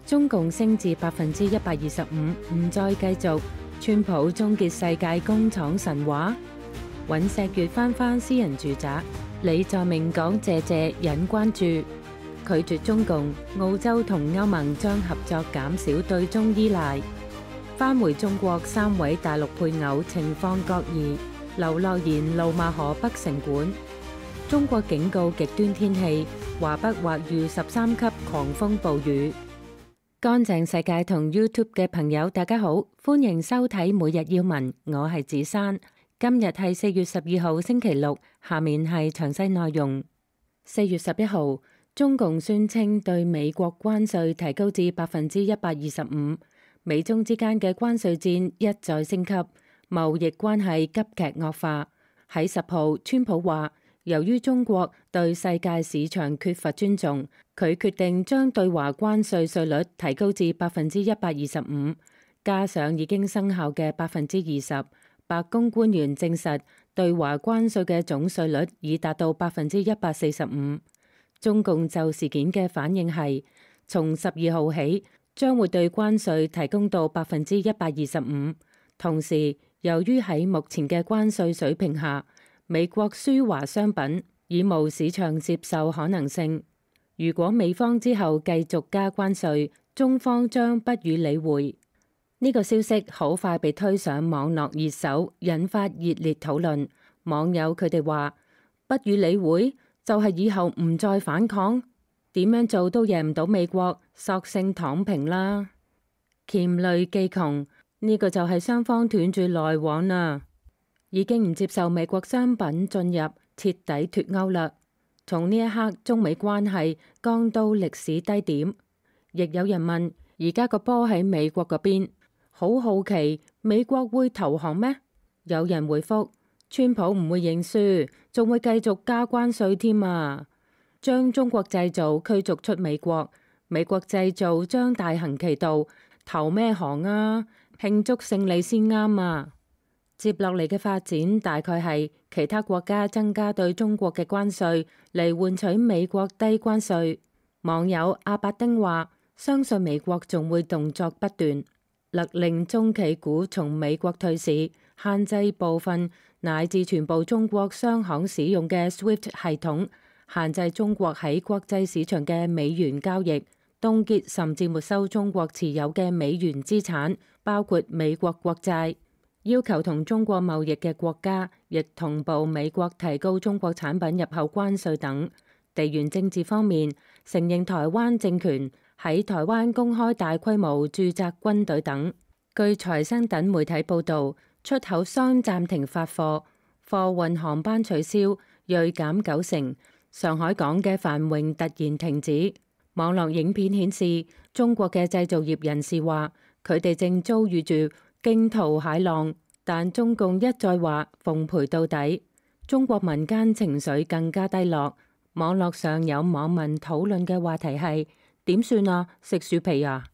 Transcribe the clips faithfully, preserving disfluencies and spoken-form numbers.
中共升至百分之一百二十五，唔再繼續。川普終結世界工廠神話。尹錫悅翻返私人住宅。李在明講謝謝引關注。拒絕中共，澳洲同歐盟將合作減少對中依賴。返回中國三位大陸配偶情況各異。劉諾言怒罵河北城管。中國警告極端天氣，華北或遇十三級狂風暴雨。乾淨世界同 YouTube 嘅朋友大家好，歡迎收睇每日要聞，我係子珊。今日係四月十二號星期六，下面係詳細內容。四月十一號，中共宣稱對美國關稅提高至百分之一百二十五，美中之間嘅關稅戰一再升級，貿易關係急劇惡化。喺十號，川普話，由於中國對世界市場缺乏尊重，佢決定將對華關稅稅率提高至百分之一百二十五，加上已經生效嘅百分之二十。白宮官員證實，對華關稅嘅總稅率已達到百分之一百四十五。中共就事件嘅反應係，從十二號起將會對關稅提供到百分之一百二十五。同時，由於喺目前嘅關稅水平下，美國輸華商品已無市場接受可能性。如果美方之後繼續加關稅，中方將不予理會。呢個消息好快被推上網絡熱搜，引發熱烈討論。網友佢哋話：不予理會就係以後唔再反抗，點樣做都贏唔到美國，索性躺平啦。黔騾技窮，呢個就係雙方斷絕來往啦，已經唔接受美國商品進入，徹底脫鈎啦。從呢一刻，中美關係降到歷史低點。亦有人問：而家個波喺美國嗰邊，好好奇美國會投降咩？有人回覆：川普唔會認輸，仲會繼續加關稅添啊！將中國製造驅逐出美國，美國製造將大行其道，投咩行啊？慶祝勝利先啱啊！接落嚟嘅發展大概係其他國家增加對中國嘅關稅嚟換取美國低關稅。網友阿伯丁話：相信美國仲會動作不斷，勒令中企股從美國退市，限制部分乃至全部中國商行使用嘅 SWIFT 系統，限制中國喺國際市場嘅美元交易，凍結甚至沒收中國持有嘅美元資產，包括美國國債。要求同中國貿易嘅國家亦同步美國提高中國產品入口關稅等。地緣政治方面，承認台灣政權，喺台灣公開大規模駐紮軍隊等。據財新等媒體報導，出口商暫停發貨，貨運航班取消，銳減九成。上海港嘅繁榮突然停止。網絡影片顯示，中國嘅製造業人士話，佢哋正遭遇住驚濤駭浪，但中共一再話奉陪到底。中國民間情緒更加低落。網絡上有網民討論嘅話題係：點算啊？食樹皮啊？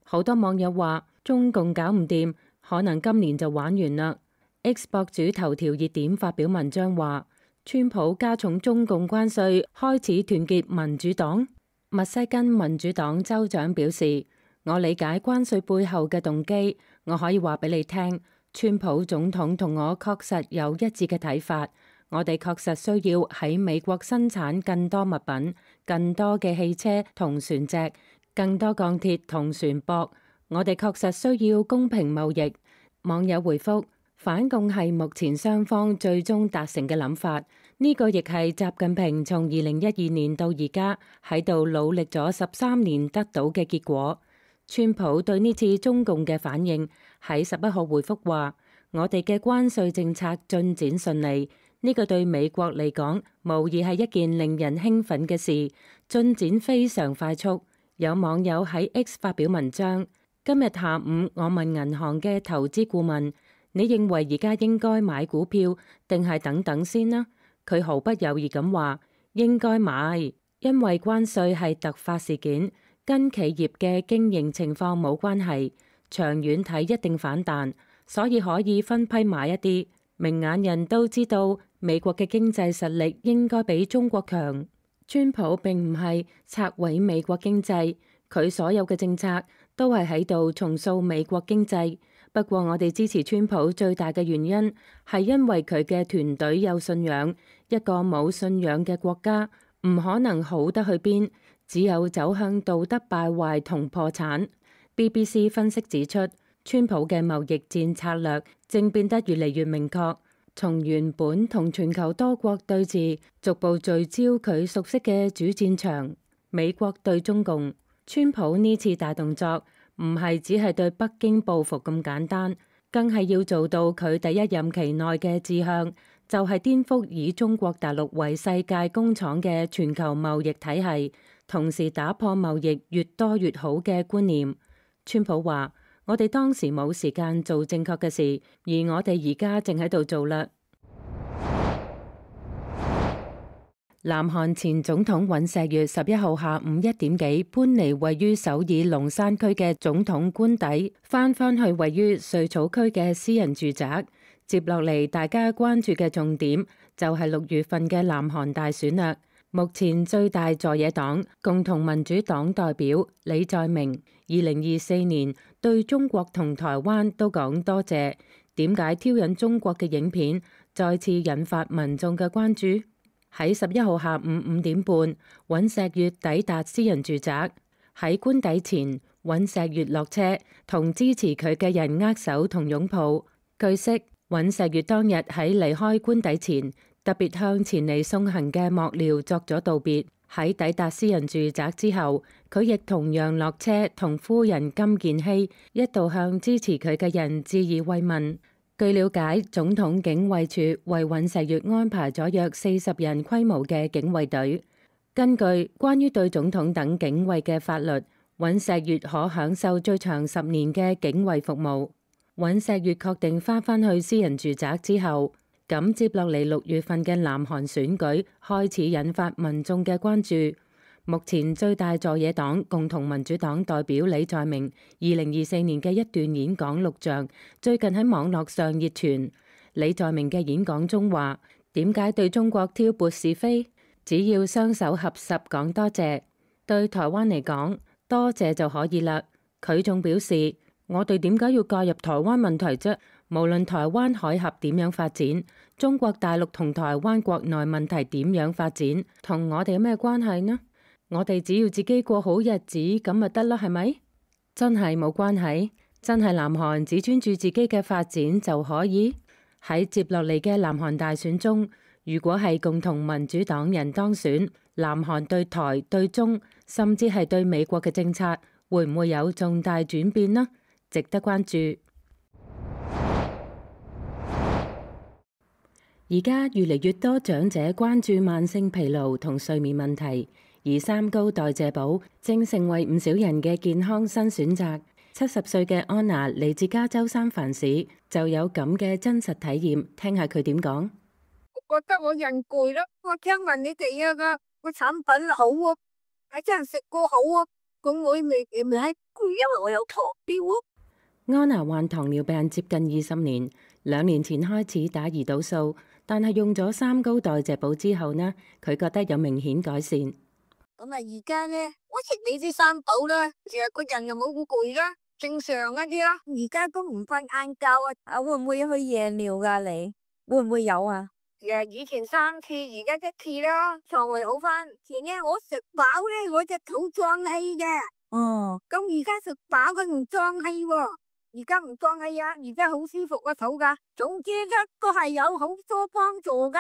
好多網友話中共搞唔掂，可能今年就玩完啦。X 博主頭條熱點發表文章話：川普加重中共關稅，開始團結民主黨。密西根民主黨州長表示：我理解關稅背後嘅動機，我可以話俾你聽，川普總統同我確實有一致嘅睇法。我哋確實需要喺美國生產更多物品，更多嘅汽車同船隻，更多鋼鐵同船舶。我哋確實需要公平貿易。網友回覆：反共係目前雙方最終達成嘅諗法。呢個亦係習近平從二零一二年到而家喺度努力咗十三年得到嘅結果。川普對呢次中共嘅反應喺十一號回覆話：我哋嘅關稅政策進展順利。呢個對美國嚟講，無疑係一件令人興奮嘅事，進展非常快速。有網友喺 X 發表文章：今日下午我問銀行嘅投資顧問，你認為而家應該買股票定係等等先呢？佢毫不猶豫咁話：應該買，因為關稅係突發事件，跟企業嘅經營情況冇關係，長遠睇一定反彈，所以可以分批買一啲。明眼人都知道美國嘅經濟實力應該比中國強。川普並唔係拆毀美國經濟，佢所有嘅政策都係喺度重塑美國經濟。不過我哋支持川普最大嘅原因係因為佢嘅團隊有信仰。一個冇信仰嘅國家唔可能好得去邊，只有走向道德敗壞同破產。B B C 分析指出，川普嘅貿易戰策略正變得越嚟越明確，從原本同全球多國對峙，逐步聚焦佢熟悉嘅主戰場——美國對中共。川普呢次大動作唔係只係對北京報復咁簡單，更係要做到佢第一任期內嘅志向，就係顛覆以中國大陸為世界工廠嘅全球貿易體系，同時打破貿易越多越好嘅觀念。川普話：我哋當時冇時間做正確嘅事，而我哋而家正喺度做啦。南韓前總統尹錫悅十一號下午一點幾搬離位於首爾龍山區嘅總統官邸，翻返去位於瑞草區嘅私人住宅。接落嚟，大家關注嘅重點就係六月份嘅南韓大選啦。目前最大在野黨共同民主黨代表李在明，二零二四年對中國同台灣都講多謝。點解挑釁中國嘅影片再次引發民眾嘅關注？喺十一號下午五點半，尹錫悅抵達私人住宅。喺官邸前，尹錫悅落車，同支持佢嘅人握手同擁抱。據悉，尹錫悅當日喺離開官邸前，特別向前嚟送行嘅幕僚作咗道別。喺抵達私人住宅之後，佢亦同樣落車，同夫人金建希一道向支持佢嘅人致以慰問。據了解，總統警衛處為尹錫悅安排咗約四十人規模嘅警衛隊。根據關於對總統等警衛嘅法律，尹錫悅可享受最長十年嘅警衛服務。尹錫悅確定翻返去私人住宅之後，咁接落嚟六月份嘅南韓選舉開始引發民眾嘅關注。目前最大在野黨共同民主黨代表李在明二零二四年嘅一段演講錄像，最近喺網絡上熱傳。李在明嘅演講中話：點解對中國挑撥是非？只要雙手合十講多謝，對台灣嚟講多謝就可以啦。佢仲表示：我哋點解要介入台灣問題啫？無論台灣海峽點樣發展，中國大陸同台灣國內問題點樣發展，同我哋有咩關係呢？我哋只要自己過好日子咁咪得啦，係咪？真係冇關係，真係南韓只專注自己嘅發展就可以？喺接落嚟嘅南韓大選中，如果係共同民主黨人當選，南韓對台、對中，甚至係對美國嘅政策，會唔會有重大轉變呢？值得關注。而家越嚟越多長者關注慢性疲勞同睡眠問題。而三高代謝寶正成為唔少人嘅健康新選擇。七十歲嘅安娜嚟自加州三藩市，就有咁嘅真實體驗，聽下佢點講。我覺得我人攰咯，我聽聞你哋啊個個產品好啊，係真係食過好啊，咁我未未係攰，因為我有糖尿啊。安娜患糖尿病接近二十年，兩年前開始打胰島素，但係用咗三高代謝寶之後呢，佢覺得有明顯改善。咁啊，而家咧，我食你啲三寶啦，成日個人又冇咁攰啦，正常一啲啦。而家都唔瞓晏覺啊，啊會唔會去夜尿噶？你會唔會有啊？誒，以前三次，而家一次啦，腸胃好翻。前日我食飽咧，我隻肚脹氣嘅。哦，咁而家食飽佢唔脹氣喎，而家唔脹氣啊，而家好舒服個肚噶。總之一個係有好多幫助噶。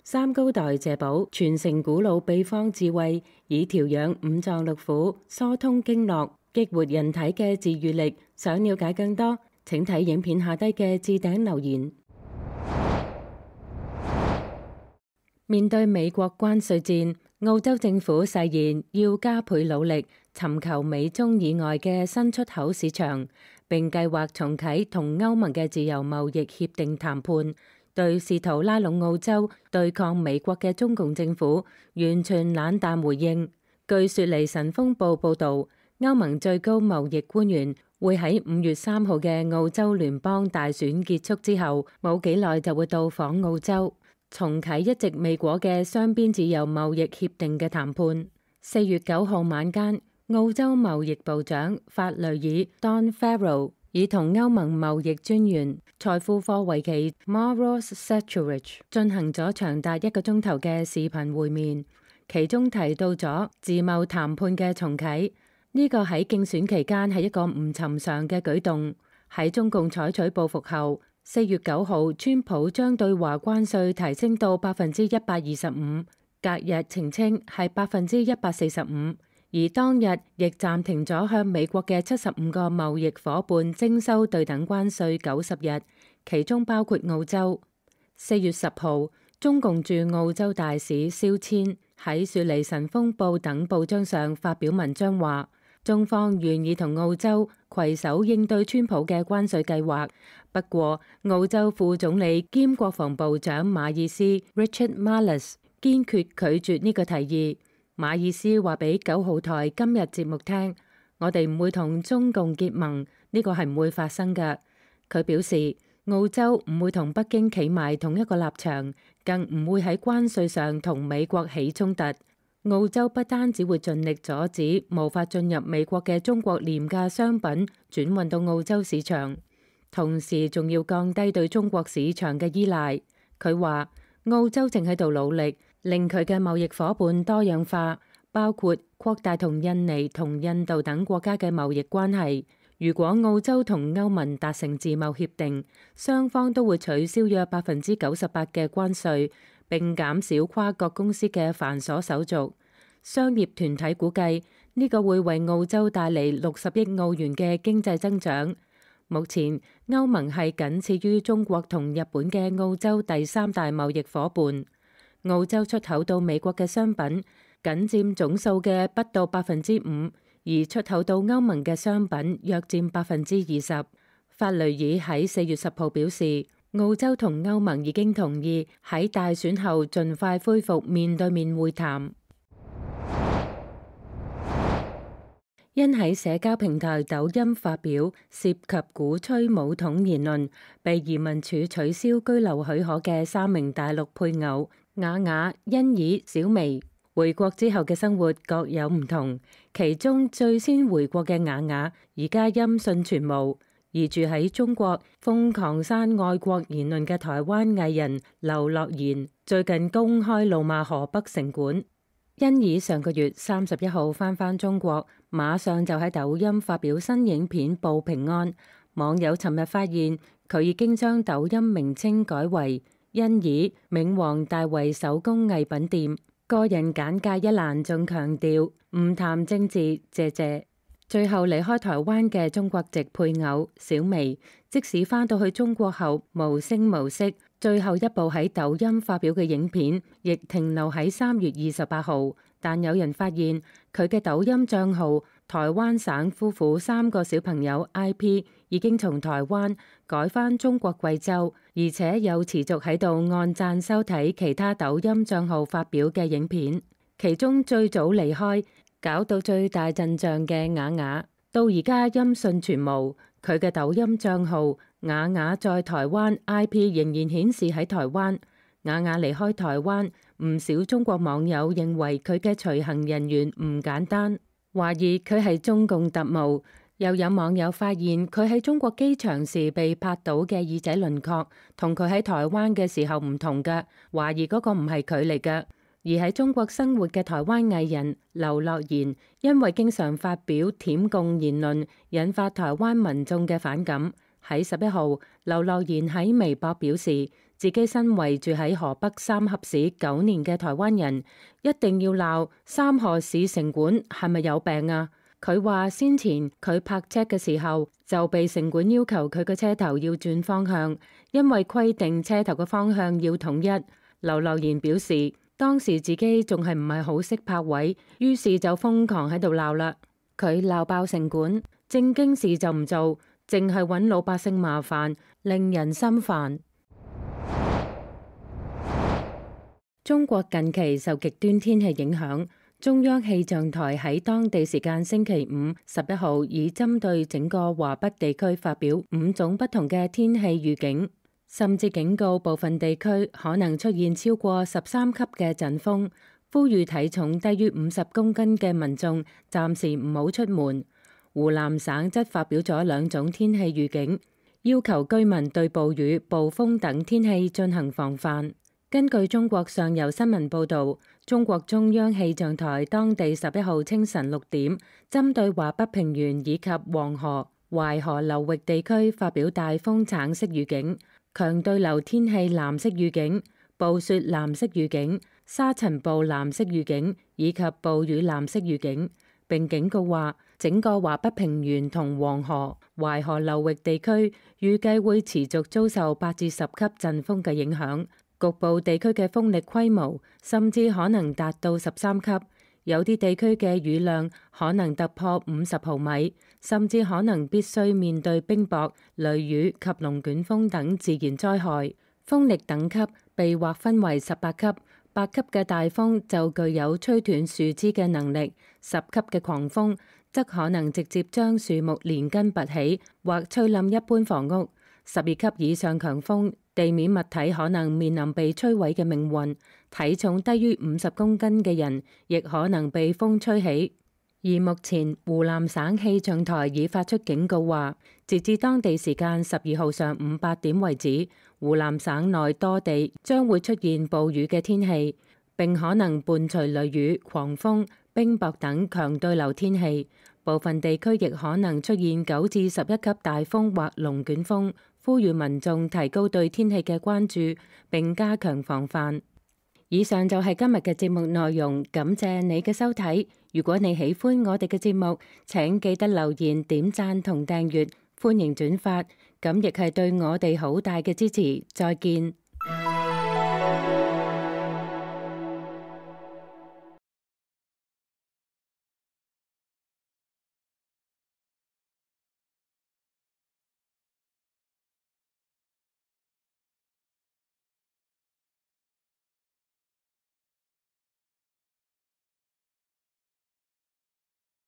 三高代謝寶傳承古老秘方智慧，以調養五臟六腑、疏通經絡、激活人體嘅治愈力。想了解更多，請睇影片下低嘅置頂留言。面對美國關稅戰，澳洲政府誓言要加倍努力，尋求美中以外嘅新出口市場，並計劃重啟同歐盟嘅自由貿易協定談判。對試圖拉攏澳洲對抗美國嘅中共政府完全冷淡回應。據雪梨晨鋒報報導，歐盟最高貿易官員會喺五月三號嘅澳洲聯邦大選結束之後冇幾耐就會到訪澳洲，重啟一直未果嘅雙邊自由貿易協定嘅談判。四月九號晚間，澳洲貿易部長法雷爾 Don Farrell 已同歐盟貿易專員財富科維奇 Maros Sefcovic 進行咗長達一個鐘頭嘅視頻會面，其中提到咗自貿談判嘅重啟。呢個喺競選期間係一個唔尋常嘅舉動。喺中共採取報復後，四月九號，川普將對華關稅提升到百分之一百二十五，隔日澄清係百分之一百四十五，而當日亦暫停咗向美國嘅七十五個貿易夥伴徵收對等關稅九十日，其中包括澳洲。四月十號，中共駐澳洲大使肖千喺雪梨晨鋒報等報章上發表文章話，中方願意同澳洲攜手應對川普嘅關稅計劃，不過澳洲副總理兼國防部長馬爾斯 Richard Marles 堅決拒絕呢個提議。馬爾斯話俾九號台今日節目聽，我哋唔會同中共結盟，呢個係唔會發生嘅。佢表示，澳洲唔會同北京企埋同一個立場，更唔會喺關稅上同美國起衝突。澳洲不單只會盡力阻止無法進入美國嘅中國廉價商品轉運到澳洲市場，同時仲要降低對中國市場嘅依賴。佢話澳洲正喺度努力令佢嘅貿易夥伴多樣化，包括擴大同印尼同印度等國家嘅貿易關係。如果澳洲同歐盟達成自貿協定，雙方都會取消約百分之九十八嘅關稅，並減少跨國公司嘅繁瑣手續。商業團體估計呢個會為澳洲帶嚟六十億澳元嘅經濟增長。目前歐盟係僅次於中國同日本嘅澳洲第三大貿易夥伴。澳洲出口到美國嘅商品僅佔總數嘅不到百分之五，而出口到歐盟嘅商品約佔百分之二十。法雷爾喺四月十號表示，澳洲同歐盟已經同意喺大選後盡快恢復面對面會談。因喺社交平台抖音發表涉及鼓吹武統言論，被移民署取消居留許可嘅三名大陸配偶雅雅、欣宜、小薇，回國之後嘅生活各有唔同。其中最先回國嘅雅雅，而家音訊全無；而住喺中國瘋狂刪愛國言論嘅台灣藝人劉樂妍，最近公開怒罵河北城管。欣宜上個月三十一號返返中國，馬上就喺抖音發表新影片報平安。網友尋日發現佢已經將抖音名稱改為欣宜冥王大衛手工藝品店。個人簡介一欄仲強調唔談政治，謝謝。最後離開台灣嘅中國籍配偶小薇，即使返到去中國後無聲無息，最後一部喺抖音發表嘅影片亦停留喺三月二十八號。但有人發現佢嘅抖音賬號台灣省夫婦三個小朋友 I P 已經從台灣改返中國貴州，而且有持續喺度按讚收睇其他抖音賬號發表嘅影片。其中最早離開搞到最大陣仗嘅雅雅，到而家音訊全無。佢嘅抖音賬號雅雅在台灣 I P 仍然顯示喺台灣。雅雅離開台灣，唔少中國網友認為佢嘅隨行人員唔簡單，懷疑佢係中共特務。又有網友發現佢喺中國機場時被拍到嘅耳仔輪廓，同佢喺台灣嘅時候唔同嘅，懷疑嗰個唔係佢嚟嘅。而喺中國生活嘅台灣藝人劉樂妍，因為經常發表舔共言論，引發台灣民眾嘅反感。喺十一號，劉樂妍喺微博表示，自己身為住喺河北三峽市九年嘅台灣人，一定要鬧三河市城管係咪有病啊？佢話先前佢泊車嘅時候就被城管要求佢嘅車頭要轉方向，因為規定車頭嘅方向要統一。劉樂妍表示，當時自己仲係唔係好識泊位，於是就瘋狂喺度鬧啦。佢鬧爆城管，正經事就唔做，淨係揾老百姓麻煩，令人心煩。中國近期受極端天氣影響，中央氣象台喺當地時間星期五十一號，已針對整個華北地區發表五種不同嘅天氣預警，甚至警告部分地區可能出現超過十三級嘅陣風，呼籲體重低於五十公斤嘅民眾暫時唔好出門。湖南省則發表咗兩種天氣預警，要求居民對暴雨、暴風等天氣進行防範。根據中國上游新聞報導，中國中央氣象台當地十一號清晨六點，針對華北平原以及黃河、淮河流域地區發表大風橙色預警、強對流天氣藍色預警、暴雪藍色預警、沙塵暴藍色預警以及暴雨藍色預警，並警告話，整個華北平原同黃河、淮河流域地區預計會持續遭受八至十級陣風嘅影響。局部地區嘅風力規模甚至可能達到十三級，有啲地區嘅雨量可能突破五十毫米，甚至可能必須面對冰雹、雷雨及龍捲風等自然災害。風力等級被劃分為十八級，八級嘅大風就具有吹斷樹枝嘅能力，十級嘅狂風則可能直接將樹木連根拔起或吹冧一般房屋。十二級以上強風，地面物體可能面臨被摧毀嘅命運，體重低於五十公斤嘅人亦可能被風吹起。而目前湖南省氣象台已發出警告話，截至當地時間十二號上午八點為止，湖南省內多地將會出現暴雨嘅天氣，並可能伴隨雷雨、狂風、冰雹等強對流天氣，部分地區亦可能出現九至十一級大風或龍捲風。呼籲民眾提高對天氣嘅關注，並加強防範。以上就係今日嘅節目內容，感謝你嘅收睇。如果你喜歡我哋嘅節目，請記得留言、點讚同訂閱，歡迎轉發，咁亦係對我哋好大嘅支持。再見。